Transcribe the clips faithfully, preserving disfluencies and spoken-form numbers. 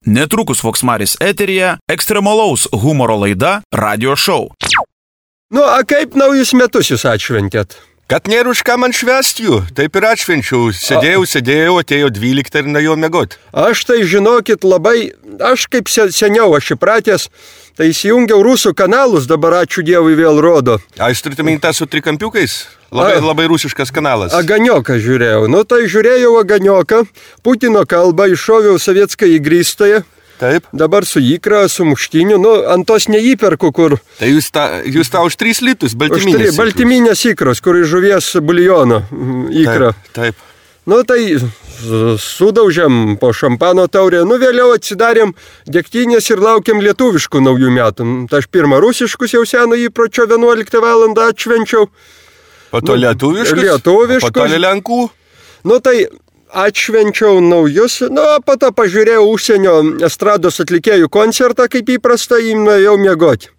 Netrukus Voksmaris eteryje ekstremalaus humoro laida Radio Show. Nu, a kaip naujus metus jūs atšventėt? Kad nėra už ką man švęst jų, taip ir atšvenčiau. Sėdėjau, sėdėjau, atėjo dvyliktą ir nuėjau miegot. Aš tai žinokit labai, aš kaip seniau aš įpratęs, tai įsijungiau rusų kanalus, dabar ačiū Dievui vėl rodo. A, jūs turite minti tą su trikampiukais? Labai, a, labai rusiškas kanalas. Aganioką žiūrėjau. Nu tai žiūrėjau Aganioką, Putino kalbą, iššoviau sovietską įgrįstąją. Taip. Dabar su ikra, su muštiniu, nu, ant tos neįperku, kur... Tai jūs tą, jūs tą už tris litus, baltyminės. Baltyminės ikros, kur iš žuvies buljono ikra. Taip, taip. Nu, tai sudaužiam po šampano taurę, nu, vėliau atsidarėm degtinės ir laukiam lietuviškų naujų metų. Tai aš pirmą rusiškus jau seno įpročio vienuoliktą valandą atšvenčiau. Po to nu, lietuviškus? Lietuviškus. Po to lenkų? Nu, tai... Atšvenčiau naujus, nu, po to pažiūrėjau užsienio estrados atlikėjų koncertą, kaip įprasta, jį nuėjau miegoti.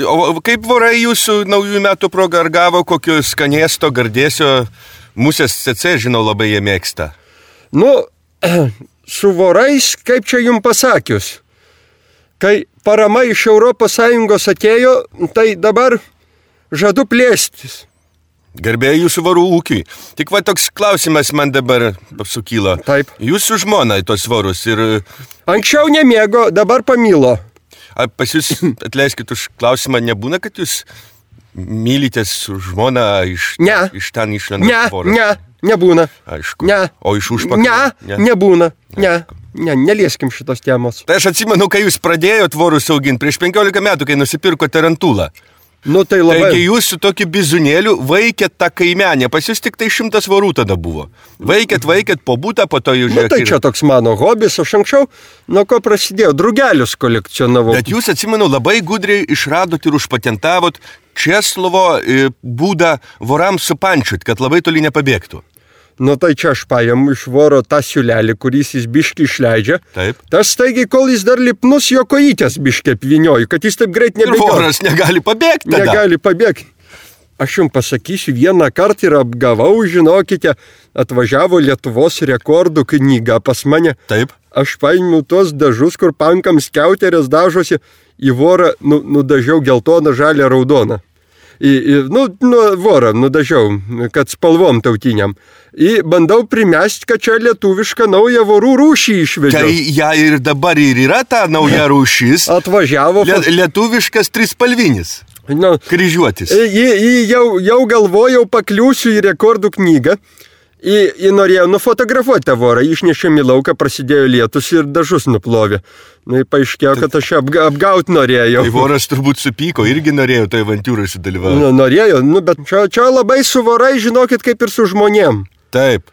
O kaip vorai jūsų naujų metų proga ar gavo kokio skanėsto, gardėsio, musės C C, žinau, labai jie mėgsta? Nu, su vorais, kaip čia jums pasakius, kai parama iš Europos Sąjungos atėjo, tai dabar žadu plėstis. Garbėjai jūsų varų ūkiui. Tik va toks klausimas man dabar sukyla. Taip. Jūsų žmona į tos varus ir... Anksčiau nemėgo, dabar pamilo. A, pas jūs, atleiskit už klausimą, nebūna, kad jūs mylitės su žmona iš, ne. iš ten išlenda ne, voras? Ne, nebūna. Aišku. Ne. O iš užpakalio? Ne, ne, nebūna. Ne. Ne, nelieskim šitos temos. Tai aš atsimenu, kai jūs pradėjot vorus auginti prieš penkiolika metų, kai nusipirko tarantulą. Nu, tai labai... Taigi jūs su tokiu bizunėliu vaikėt tą kaimenę, pas jūs tik tai šimtas vorų tada buvo. Vaikėt, vaikėt po būtą, po to jūs žiūrėkit. Nu, tai čia toks mano hobis, aš anksčiau, nuo ko prasidėjo, drugelius kolekcionavau. Bet jūs, atsimenu, labai gudriai išradot ir užpatentavot Česlovo būdą vorams supančiut, kad labai toli nepabėgtų. Nu, tai čia aš paimu iš voro tą siūlelį, kuris jis biškį išleidžia. Taip. Tas staigiai, kol jis dar lipnus, jo kojytės biškį apvinioju, kad jis taip greit nebėgio. Ir voras negali pabėgti tada. Negali pabėgti. Aš jums pasakysiu, vieną kartą ir apgavau, žinokite, atvažiavo Lietuvos rekordų knyga pas mane. Taip. Aš paėmiau tuos dažus, kur pankams skiauterės dažosi, į vorą nu, nudažiau geltoną, žalią, raudoną. Į, į, nu, nu, vorą nudažiau, kad spalvom tautiniam. Ir bandau primesti, kad čia lietuvišką naują vorų rūšį išvedžiau. Tai ja ir dabar ir yra ta nauja rūšis. Atvažiavo. Le, lietuviškas trispalvinis. Nu, kryžiuotis. Į, į, jau, jau galvojau pakliūsiu į rekordų knygą. Į, į norėjau nufotografuoti tą vorą, išnešėm į lauką, prasidėjo lietus ir dažus nuplovė. Na, nu, paaiškėjo, kad aš apga, apgaut norėjau. Tai voras turbūt supyko, irgi norėjo tai avantūrai sudalyvauti. Nu, norėjo, nu, bet čia, čia labai su vorai, žinokit, kaip ir su žmonėm. Taip.